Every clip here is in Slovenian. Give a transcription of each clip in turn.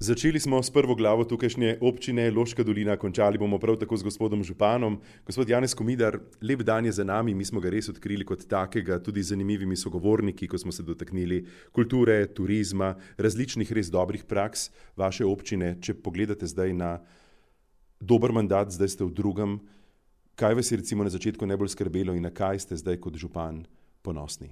Začeli smo s prvo glavo tukajšnje občine Loška dolina, končali bomo prav tako z gospodom županom. Gospod Janez Komidar, lep dan je za nami, mi smo ga res odkrili kot takega, tudi z zanimivimi sogovorniki, ko smo se dotaknili kulture, turizma, različnih res dobrih praks vaše občine. Če pogledate zdaj na dober mandat, zdaj ste v drugem, kaj vas je recimo na začetku najbolj skrbelo in na kaj ste zdaj kot župan ponosni?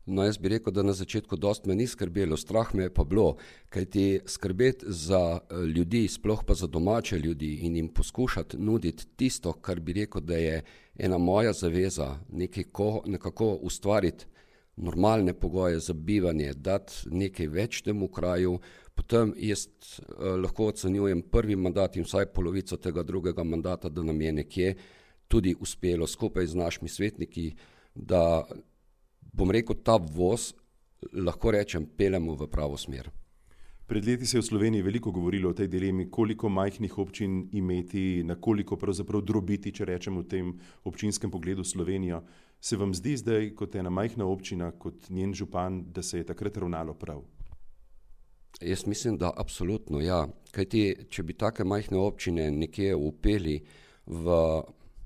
No, jaz bi rekel, da na začetku dost me ni skrbelo, strah me je pa bilo, kajti skrbeti za ljudi, sploh pa za domače ljudi in jim poskušati nuditi tisto, kar bi rekel, da je ena moja zaveza, nekako ustvariti normalne pogoje za bivanje, dati nekaj več temu kraju, potem jaz lahko ocenjujem prvi mandat in vsaj polovico tega drugega mandata, da nam je nekje tudi uspelo skupaj z našimi svetniki, da bom rekel, ta voz, lahko rečem, peljemo v pravo smer. Pred leti se je v Sloveniji veliko govorilo o tej dilemi, koliko majhnih občin imeti, na koliko pravzaprav drobiti, če rečemo v tem občinskem pogledu Slovenijo. Se vam zdi zdaj, kot ena majhna občina, kot njen župan, da se je takrat ravnalo prav? Jaz mislim, da absolutno, ja. Kajti, če bi take majhne občine nekje upeli v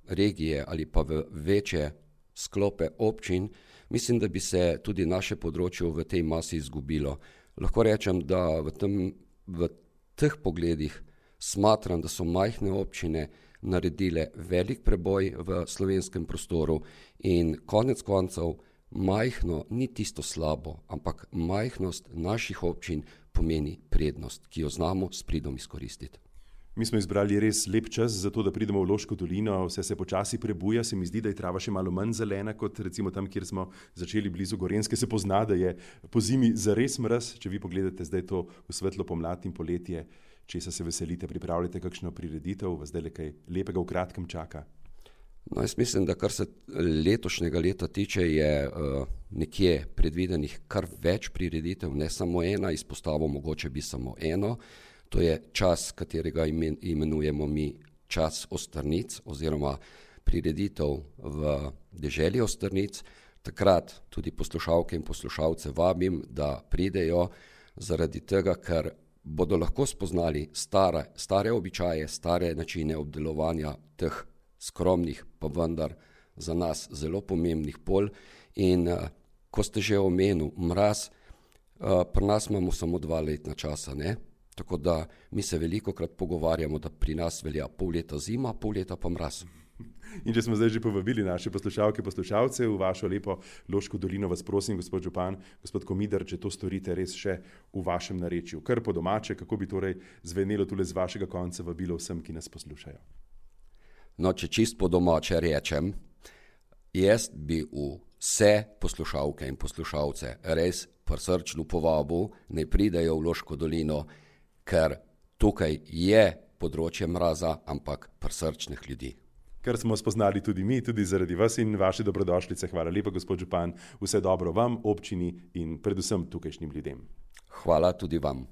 regije ali pa v večje sklope občin, mislim, da bi se tudi naše področje v tej masi izgubilo. Lahko rečem, da v teh pogledih smatram, da so majhne občine naredile velik preboj v slovenskem prostoru in konec koncev majhno ni tisto slabo, ampak majhnost naših občin pomeni prednost, ki jo znamo s pridom izkoristiti. Mi smo izbrali res lep čas za to, da pridemo v Loško dolino, vse se počasi prebuja, se mi zdi, da je trava še malo manj zelena, kot recimo tam, kjer smo začeli blizu Gorenjske, se pozna, da je po zimi zares mraz, če vi pogledate zdaj to v svetlo pomlad in poletje, česa se veselite, pripravljate kakšno prireditev, vas zdaj kaj lepega v kratkem čaka? No, jaz mislim, da kar se letošnjega leta tiče, je nekje predvidenih kar več prireditev, ne samo ena, izpostavil mogoče bi samo eno. To je čas, katerega imenujemo mi čas Ostrnic oziroma prireditev v deželi Ostrnic. Takrat tudi poslušalke in poslušalce vabim, da pridejo zaradi tega, ker bodo lahko spoznali stare običaje, stare načine obdelovanja teh skromnih, pa vendar za nas zelo pomembnih polj. In ko ste že omenil mraz, pri nas imamo samo 2 letna časa, ne? Tako da mi se velikokrat pogovarjamo, da pri nas velja pol leta zima, pol leta pa mraz. In če smo zdaj že povabili naše poslušalke, poslušalce v vašo lepo Loško dolino, vas prosim, gospod župan, gospod Komidar, če to storite res še v vašem narečju. Kar po domače, kako bi torej zvenelo tule z vašega konca vabilo vsem, ki nas poslušajo? No, če čist po domače rečem, jaz bi vse poslušalke in poslušalce res prisrčno povabil, naj pridejo v Loško dolino, ker tukaj je področje mraza, ampak prisrčnih ljudi. Kar smo spoznali tudi mi, tudi zaradi vas in vaše dobrodošlice. Hvala lepa, gospod župan. Vse dobro vam, občini in predvsem tukajšnjim ljudem. Hvala tudi vam.